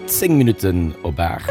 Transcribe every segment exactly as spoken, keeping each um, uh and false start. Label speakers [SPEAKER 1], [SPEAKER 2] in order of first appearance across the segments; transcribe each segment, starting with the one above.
[SPEAKER 1] Zéng Minutten op aacht.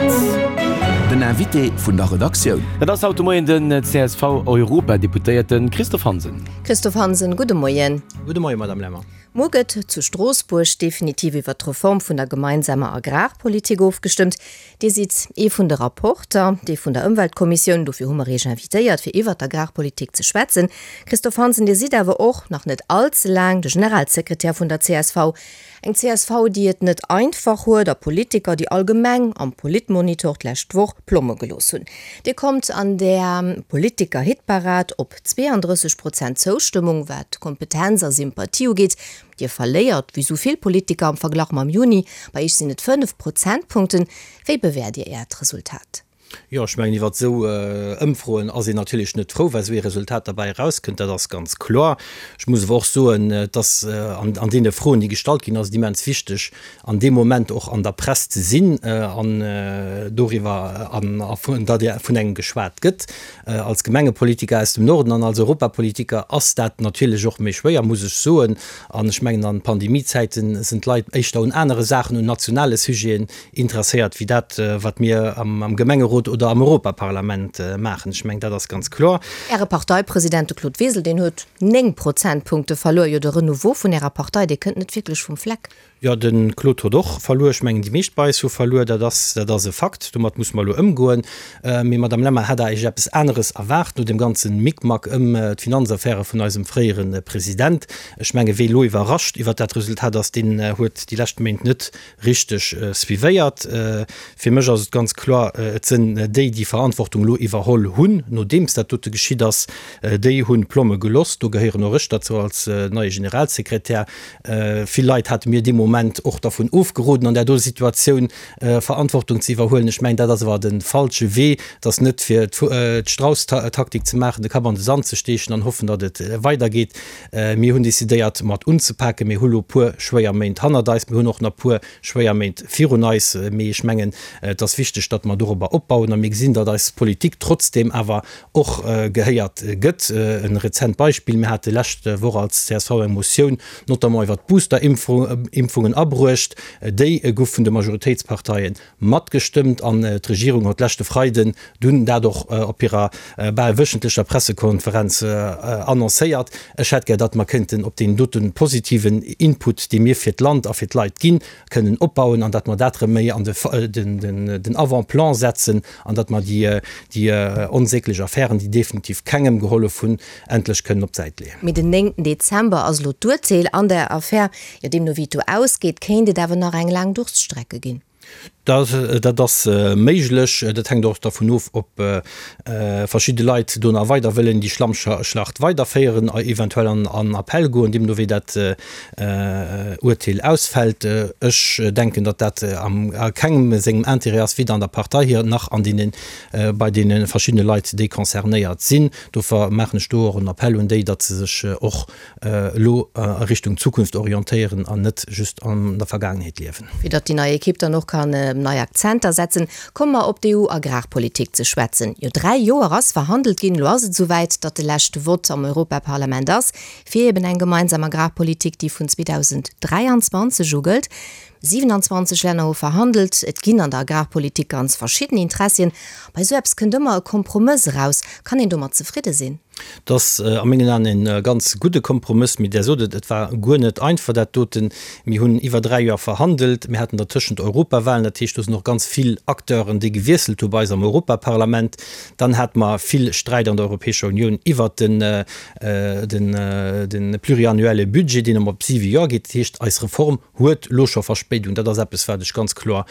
[SPEAKER 2] Den Invité vun der Redaktioun.
[SPEAKER 1] Dat ass haut de Moien den C S V-Europadeputéierte Christophe Hansen.
[SPEAKER 3] Christophe Hansen, gudde Moien.
[SPEAKER 4] Gudde Moien, Madame Lemmer.
[SPEAKER 3] Muer gëtt zu Stroossbuerg definitiv iwwer d'Reform vun der gemeinsamer Agrarpolitik ofgestëmmt. Dir sidd ee vun de Rapporter, dee vun der Ëmweltkommissioun, dofir hu mer Iech invitéiert, fir iwwer d'Agrarpolitik ze schwätzen. Christophe Hansen, Dir sidd awer och nach net all ze laang de Generalsekretär vun der C S V. Eng C S V, déi et net einfach huet, a Politiker, déi allgemeng am Politmonitor d'lescht Woch Plomme gelooss hunn. Dir kommt an der Politiker-Hitparad op zweeandrësseg Prozent Zoustëmmung, wat Kompetenz a Sympathie ugeet. Dir verléiert, wéi sou vill Politiker am Verglach mam Juni, bei Iech sinn et fënnef Prozentpunkten. Wéi bewäert Dir Äert Resultat?
[SPEAKER 4] Jo, ech mengen, iwwer esou Ëmfroen ass een natierlech net frou, well esou ee Resultat derbäi erauskënnt, dat ass ganz kloer. Ech muss awer och soen, dass an deene Froen, déi gestallt ginn, ass et immens wichteg, an deem Moment och an der Press ze sinn an doriwwer, an datt vun engem geschwat gëtt. Als Gemengepolitiker aus dem Norden an als Europapolitiker ass dat natierlech och méi schwéier, muss ech soen. An ech mengen, an Pandemiezäite sinn d'Leit éischter un anere Saachen, un nationale Sujeten interesséiert, wéi dat, wat mir am Gemengerot oder am Europaparlament maachen. Ech mengen, dat ass ganz kloer.
[SPEAKER 3] Äre Parteipresident, de Claude Wiesel, deen huet néng Prozentpunkte verluer. Jo, de Renouveau vun Ärer Partei, dee kënnt net wierklech vum Fleck.
[SPEAKER 4] Jo, de Claude huet och verluer. Ech mengen, déi meescht bei eis hu verluer. Dat ass, dat ass e Fakt. Domat muss mer elo ëmgoen. Mee, Madame Lemmer, hat Der Iech eppes aneres erwaart no deem ganze Mickmack ëm d'Finanzaffäre vun eisem fréiere President? Ech menge wee elo iwwerrascht iwwert dat Resultat ass, deen huet déi lescht Méint net richteg suivéiert. Fir mech ass et ganz kloer, et sinn déi, déi Verantwortung elo iwwerholl hunn, nodeems dat dote geschitt ass, déi hunn d'Plomme geloss. Do gehéieren och ech derzou als neie Generalsekretär. Vill Leit hate mir dee Moment och dervun ofgeroden, an där do Situatioun Verantwortung ze iwwerhuelen. Ech mengen, dat ass awer de falsche Wee. Et ass net fir d'Strauss-Taktik ze maachen, de Kapp an de Sand ze steechen an hoffen, datt et weidergeet. Mir hunn decidéiert, mat unzepaken. Mir hu lo e puer schwéier Méint hannert eis. Mir hunn och nach e puer schwéier Méint virun eis. Mee ech mengen, et ass wichteg, datt mer dorobber opbauen a mir gesinn, datt eis Politik trotzdeem awer och gehéiert gëtt. E rezent Beispill, Mir hate lescht Woch als C S V eng Motioun notamment iwwert d'Boosterimpfungen abruecht. Déi gouf vun de Majoritéitsparteie matgestëmmt an d'Regierung huet leschte Freiden dunn dat och op hirer bal wöchentlecher Pressekonferenz annoncéiert. Ech hätt gär, datt mer kënnten op deen dote positiven Input, dee mir fir d'Land a fir d'Leit ginn, kënnen opbauen an datt mer dat erëm méi an den Avant-plan setzen an datt mer déi onsäglech Affären, déi definitiv kengem gehollef hunn, endlech kënnen op d'Säit leeën.
[SPEAKER 3] Mee den néngten Dezember ass elo d'Urteel an der Affär. Jo, deemno wéi et do ausgeet, kéint et awer nach eng laang Durststrecke ginn.
[SPEAKER 4] Dat ass méiglech. Dat hänkt och dervun of, ob verschidde Leit do nach weider wëllen déi Schlammschlacht weiderféieren, eventuell an Appell goen, deemno wéi dat Urteel ausfält. Ech denken, datt dat a kengem sengem Intérêt ass, weder an der Partei hier nach an deene bei deene verschiddene Leit, déi concernéiert sinn. Dofir maachen ech do och en Appell un déi, datt se sech och elo a Richtung Zukunft orientéieren an net just an der Vergaangenheet liewen.
[SPEAKER 3] Fir datt déi nei Ekipp dann och kann nei Akzenter setzen, komme mer op d'E U-Agrarpolitik ze schwätzen. Jo, dräi Joer ass verhandelt ginn. Elo ass et esouwäit, datt de leschte Vott am Europaparlament ass, fir eben eng gemeinsam Agrarpolitik, déi vun zweedausend dräianzwanzeg u gëllt. siwenanzwanzeg Länner hu verhandelt. Et ginn an der Agrarpolitik ganz verschidden Interessien. Bei esou eppes kënnt ëmmer e Kompromëss eraus. Kann een domat zefridde sinn?
[SPEAKER 4] Dat ass a mengen Aen e ganz gudde Kompromëss. Mee Der sot et, et war guer net einfach dat doten. Mir hunn iwwer dräi Joer verhandelt. Mir haten dertëschent Europawahlen, dat heescht, do sinn och ganz vill Acteuren, déi gewiesselt hu bei eis am Europaparlament. Dann hate mer vill Sträit an der Europäescher Unioun iwwert den, den, de pluriannuelle Budget, deen ëm op siwe Joer geet. Dat heescht, eis Reform huet elo scho Verspéidung. Dat ass eppes, wat ech ganz kloer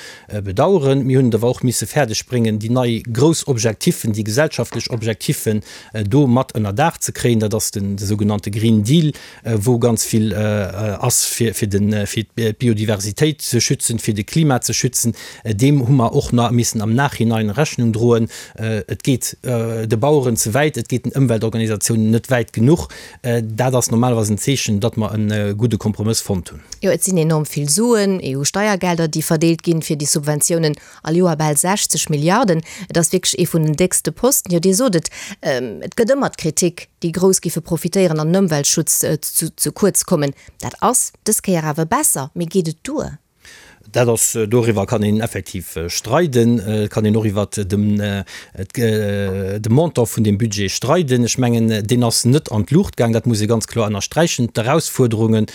[SPEAKER 4] bedauern. Mir hunn et awer och misse fäerdeg bréngen, déi nei grouss Objektiffen, déi gesellschaftlech Objektiffen do mat ënner Daach ze kréien. Dat ass den de sougenannte Green Deal, wou ganz vill ass fir fir den fir d'Biodiversitéit ze schützen, fir de Klima ze schützen. Deem hu mer och nach missen am Nachhinein Rechnung droen. Et geet de Baueren ze wäit, et geet den Ëmweltorganisatiounen net wäit genuch. Dat ass normalerweis en Zeechen, datt mer e gudde Kompromëss fonnt hunn.
[SPEAKER 3] Jo, et sinn enorm vill Suen, E U-Steiergelder, déi verdeelt ginn fir déi Subventiounen, all Joer bal sechzeg Milliarden. Et ass wierklech ee vun den déckste Posten. Jo, Dir sot et, et gëtt ëmmer d'Kritik, déi Grouss géife profitéieren an den Ëmweltschutz ze kuerz kommen. Dat ass dës Kéier awer besser. Mee geet et duer?
[SPEAKER 4] Dat ass, doriwwer kann een effektiv streiden. Et kann een och iwwert dem, de Montant vun deem Budget streiden. Ech mengen, deen ass net an d'Luucht gaang, dat muss ee ganz kloer ënnersträichen. D'Erausfuerderungen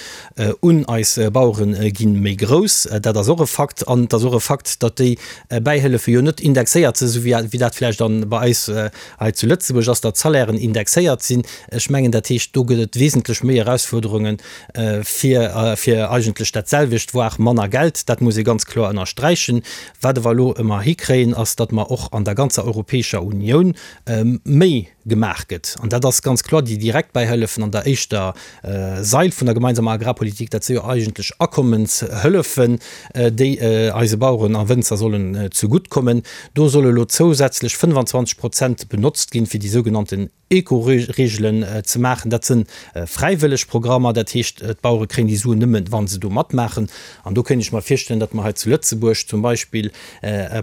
[SPEAKER 4] un eis Bauere gi méi grouss, dat ass och e Fakt. An et ass och e Fakt, datt déi Bäihëllefe jo net indexéiert sinn, esou wéi dat vläicht dann bei eis hei zu Lëtzebuerg ass, datt d'Salairen indexéiert sinn. Ech mengen, dat heescht, do gëtt et wesentlech méi Erausfuerderungen fir, fir eigentlech dat selwecht, voire manner Geld. Dat muss ee ganz kloer ënnersträichen. Wat awer elo ëmmer hikréien, ass, datt mer och an der ganzer Europäescher Unioun méi gemaach gëtt. An dat ass ganz kloer déi direkt Bäihëllefen an der éischter Sail vun der gemeinsamer Agrarpolitik, dat si jo eigentlech Akommenshëllefen, déi eise Baueren a Wënzer sollen zegutt kommen. Do solle elo zousätzlech fënnefanzwanzeg Prozent benotzt ginn, fir déi sougenannten Eco-Reegelen ze maachen. Dat si fräiwëlleg Programmer, dat heescht, d'Bauere kréien déi Suen nëmmen, wa se do matmaachen. An do kéint ech mer virstellen, datt mer hei zu Lëtzebuerg zum Beispill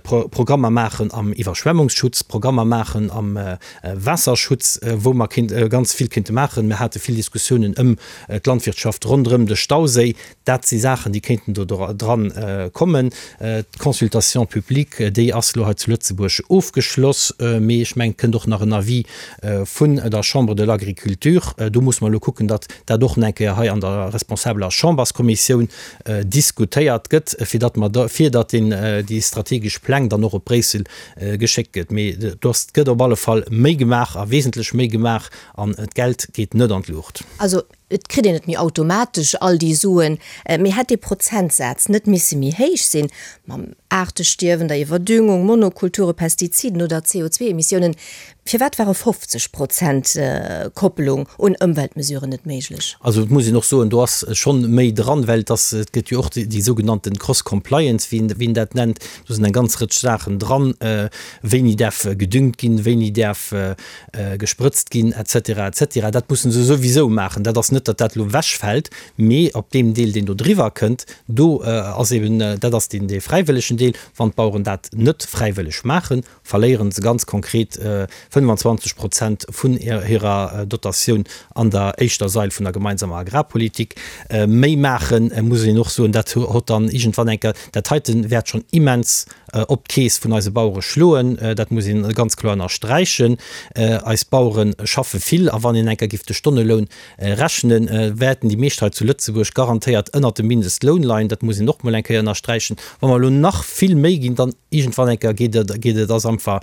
[SPEAKER 4] Programmer maachen am Iwwerschwemmungsschutz, Programmer maachen am Waasserschutz, wou mer ganz vill kéinte maachen. Mir hate vill Diskussiounen ëm d'Landwirtschaft ronderëm de Stauséi. Dat si Saachen, déi kéinten do dran kommen. D'Consultation publique, déi ass elo hei zu Lëtzebuerg ofgeschloss, mee ech mengen, et kënnt och nach en Avis vun der Chambre de l'Agriculture. Do musse mer elo kucken, datt dat och nach eng Kéier hei an der responsabeler Chamberskommissioun diskutéiert gëtt, fir datt mer da, fir datt deen, déi strategesch Pläng dann och op Bréissel geschéckt gëtt. Mee do ass, gëtt op alle Fall méi gemaach a wesentlech méi gemaach an d'Geld geet net an d'Luucht.
[SPEAKER 3] Also et kritt een net méi automatesch all déi Suen, mee hätt dee Prozentsaz net misse méi héich sinn, mam Aartestierwen, der Iwwerdüngung, Monokulture, Pestiziden oder C O zwei Emissiounen? Firwat ware fofzeg Prozent Koppelung un Ëmweltmesuren net méiglech?
[SPEAKER 4] Also et muss een och soen, do ass schonn méi dran, well et ass, et gëtt jo och déi sougenannten Cross-Compliance, wéi een dat nennt. Do sinn eng ganz Rëtsch Saachen dran, wéini däerf gedüngt ginn, wéini däerf gesprëtzt ginn, et cetera, et cetera. Dat mussen se souwisou maachen. Dat ass net, datt dat elo ewechfält, mee op deem Deel, deen do driwwer kënnt, do ass eben, dat ass deen, dee fräiwëllegen Deel. Wann d'Baueren dat net fräiwëlleg maachen, verléiere se ganz konkret fënnefanzwanzeg Prozent vun hirer Dotatioun an der éischter Sail vun der gemeinsamer Agrarpolitik. Méi maachen, muss een och soen, dat hott dann iergendwann eng Kéier, dat heite wäert schonn immens op d'Keess vun eise Bauere schloen, dat muss een ganz kloer ënnersträichen. Eis Bauere schaffe vill a wann een eng Kéier géif de Stonneloun rechnen, wäerten déi meescht hei zu Lëtzebuerg garantéiert ënnert dem Mindestloun leien. Dat muss een och mol eng Kéier ënnersträichen. Wa mer elo nach vill méi ginn, dann iergendwann eng Kéier geet et, geet et ass einfach,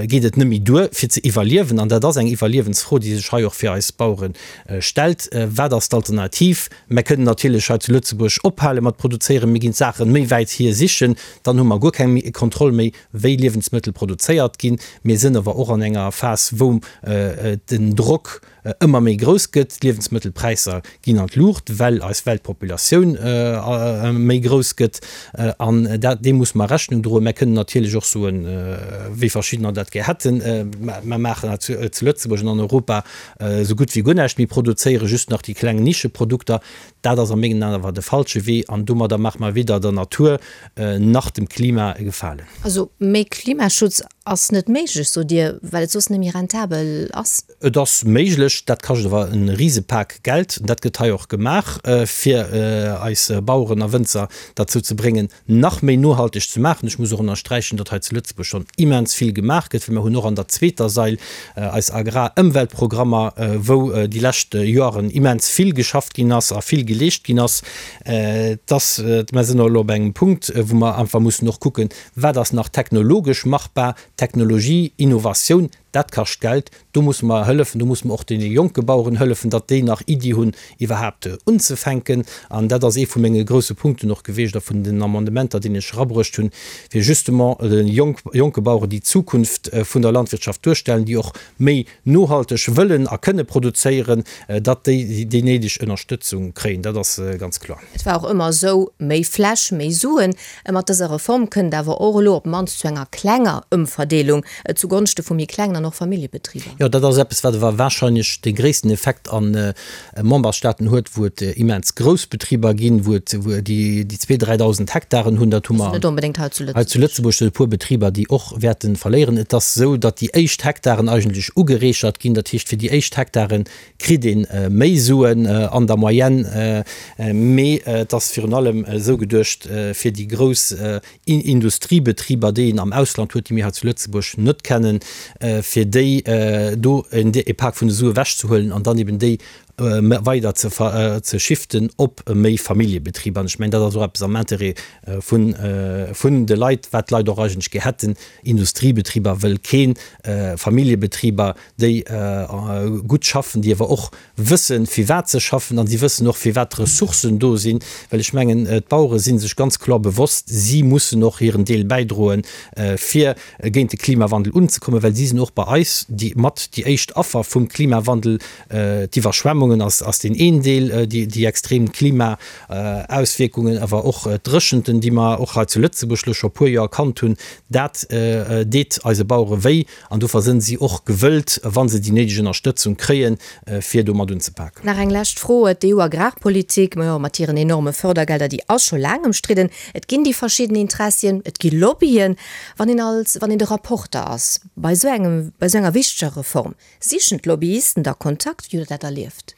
[SPEAKER 4] geet et net méi duer fir ze iwwerliewen. An dat ass eng Iwwerliewensfro, déi sech hei och fir eis Bauere stellt. Wat ass d'Alternativ? Mer kënnen natierlech hei zu Lëtzebuerg ophale mat produzéieren, mir ginn d'Saache méi wäit hier sichen, dann hu mer guer keng Kontroll méi, wéi Liewensmëttel produzéiert ginn. Mir sinn awer och an enger Phas, wou den Drock ëmmer méi grouss gëtt. D'Liewensmëttelpräisser ginn an d'Luucht, well eis Weltpopulatioun méi grouss gëtt. An dat, deem musse mer Rechnung droen. Mer kënnen natierlech och soen, wéi verschiddener dat gär hätten, mer maachen hei zu Lëtzebuerg an an Europa esou gutt wéi guer näischt méi, produzéiere just nach déi kleng Nischeprodukter. Dat ass a mengen Aen awer de falsche Wee an domadder maache mer weder der Natur nach dem Klima e Gefalen.
[SPEAKER 3] Also méi Klimaschutz ass net méiglech, sot Dir, well et soss net méi rentabel ass?
[SPEAKER 4] Et ass méiglech, dat kascht awer e Risepak Geld. Dat gëtt hei och gemaach, fir eis Baueren a Wënzer derzou ze bréngen, nach méi nohalteg ze maachen. Ech muss och ënnersträichen, datt hei zu Lëtzebuerg schonn immens vill gemaach gëtt, well mer hunn och an der zweeter Sail eis Agrarëmweltprogrammer, wou déi lescht Joeren immens vill geschafft ginn ass a vill geleescht ginn ass. Dass, mer sinn elo op engem Punkt, wou mer einfach mussen och kucken, wat ass nach technologesch machbar. Technologie, Innovatioun, dat kascht Geld. Do musse mer hëllefen, do musse mer och deene jonke Baueren hëllefen, datt déi nach Iddi hunn, iwwerhaapt unzefänken. An dat ass ee vu menge grousse Punkten och gewiescht a vun den Amendementer, déi ech erabruecht hunn, fir justement de jonke Baueren déi Zukunft vun der Landwirtschaft duerstellen, déi och méi nohalteg wëllen a kënne produzéieren, datt déi déi néideg Ënnerstëtzung kréien. Dat ass ganz kloer.
[SPEAKER 3] Et war och ëmmer esou, méi Fläch, méi Suen. Mat dëser Reform kënnt awer och elo op d'mannst zu enger klenger Ëmverdeelung zugonschte vu méi klengen an dann och Familljebetriber.
[SPEAKER 4] Jo, dat ass eppes, wat awer warscheinlech dee gréissten Effekt a Memberstaaten huet, wou et immens grouss Betriber ginn, wou et, wou déi, déi zwee, dräidausend Hektaren hunn. Dat hu mer
[SPEAKER 3] net onbedéngt hei zu
[SPEAKER 4] hei zu Lëtzebuerg e puer Betriber, déi och wäerte verléieren. Et ass esou, datt déi éischt Hektaren eigentlech ugereechert ginn. Dat heescht, fir déi éischt Hektare kritt ee méi Suen an der Moyenne, mee et ass virun allem esou geduecht, fir déi grouss Industriebetriber, déi een am Ausland huet, déi mir hei zu Lëtzebuerg net kennen, fir déi do e Pak vun de Sue ewechzehuelen an dann eben déi weider ze ze shiften op méi Familljebetriber. An ech mengen, dat ass och eppes am Interêt vun vun de Leit, wat d'Leit och eigentlech gär hätten. Industriebetriber wëll keen, Familljebetriber, déi gutt schaffen, déi awer och wëssen, firwat se schaffen, an si wëssen och, firwat d'Ressourcen do sinn. Well ech mengen, d'Bauere si sech ganz kloer bewosst, si mussen och hiren Deel bäidroen, fir géint de Klimawandel unzekommen, well si sinn och bei eis déi mat déi éischt Affer vum Klimawandel. D'Iwwerschwemmungen ass ass deen een Deel, déi déi extrem Klimaauswierkungen, awer och d'Dréchenten, déi mer och hei zu Lëtzebuerg elo scho e puer Joer kannt hunn, dat deet eise Bauere wéi. An dofir sënn si och gewëllt, wa se déi néideg Ënnerstëtzung kréien, fir do mat unzepaken.
[SPEAKER 3] Nach eng lescht Fro, D'EU-Agrarpolitik, majo, mat hiren enorme Fördergelder, déi ass scho laang ëmstridden. Et ginn déi verschidden Interessien, et gi Lobbyen. Wann een als, wann een de Rapporter ass bei esou engem, bei esou enger wichteger Reform, sichen d'Lobbyisten da Kontakt? Wéi hutt Der dat erlieft?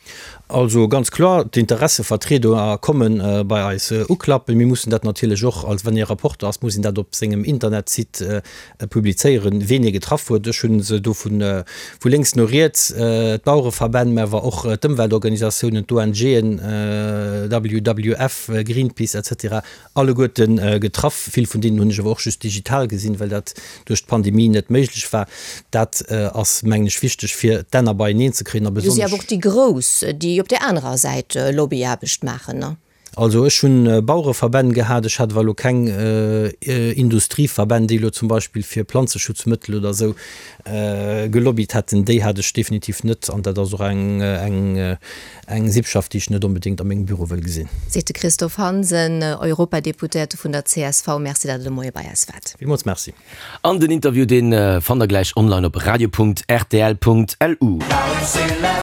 [SPEAKER 4] Also ganz kloer, d'Interessevertrieder komme bei eis uklappen. Mir mussen dat natierlech och, als wann ee Rapporter ass, muss een dat op sengem Internetsite publizéieren, ween ee getraff huet. Ech hu se do vu lénks no riets, d'Bauereverbänn, mä awer och d'Ëmweltorganisatiounen, d'ONGen, W W F, Greenpeace et cetera alleguerte getraff. Vill vun deenen hunn ech awer och just digital gesinn, well dat duerch d'Pandemie net méiglech war. Dat ass, mengen ech, wichteg, fir d'Enner beieneen ze kréien a
[SPEAKER 3] Du si
[SPEAKER 4] besonnesch.
[SPEAKER 3] awer och déi Grouss, déi op där anerer Säit Lobbyaarbecht maachen, ne?
[SPEAKER 4] Also ech hunn Bauereverbänn gehat, ech hat awer elo keng Industrieverbänn, déi elo zum Beispill fir Planzeschutzmëttel oder esou gelobbyt hätten. Déi hat ech definitiv net an dat ass och eng eng eng Sippschaft, déi ech net onbedéngt a mengem Büro wëll gesinn.
[SPEAKER 3] Seet de Christophe Hansen, Europadeputéierte vun der C S V. Merci, datt Der de Moie bei eis waart.
[SPEAKER 4] Villmools merci.
[SPEAKER 1] An den Interview, dee fannt der gläich online op radio Punkt rtl Punkt lu.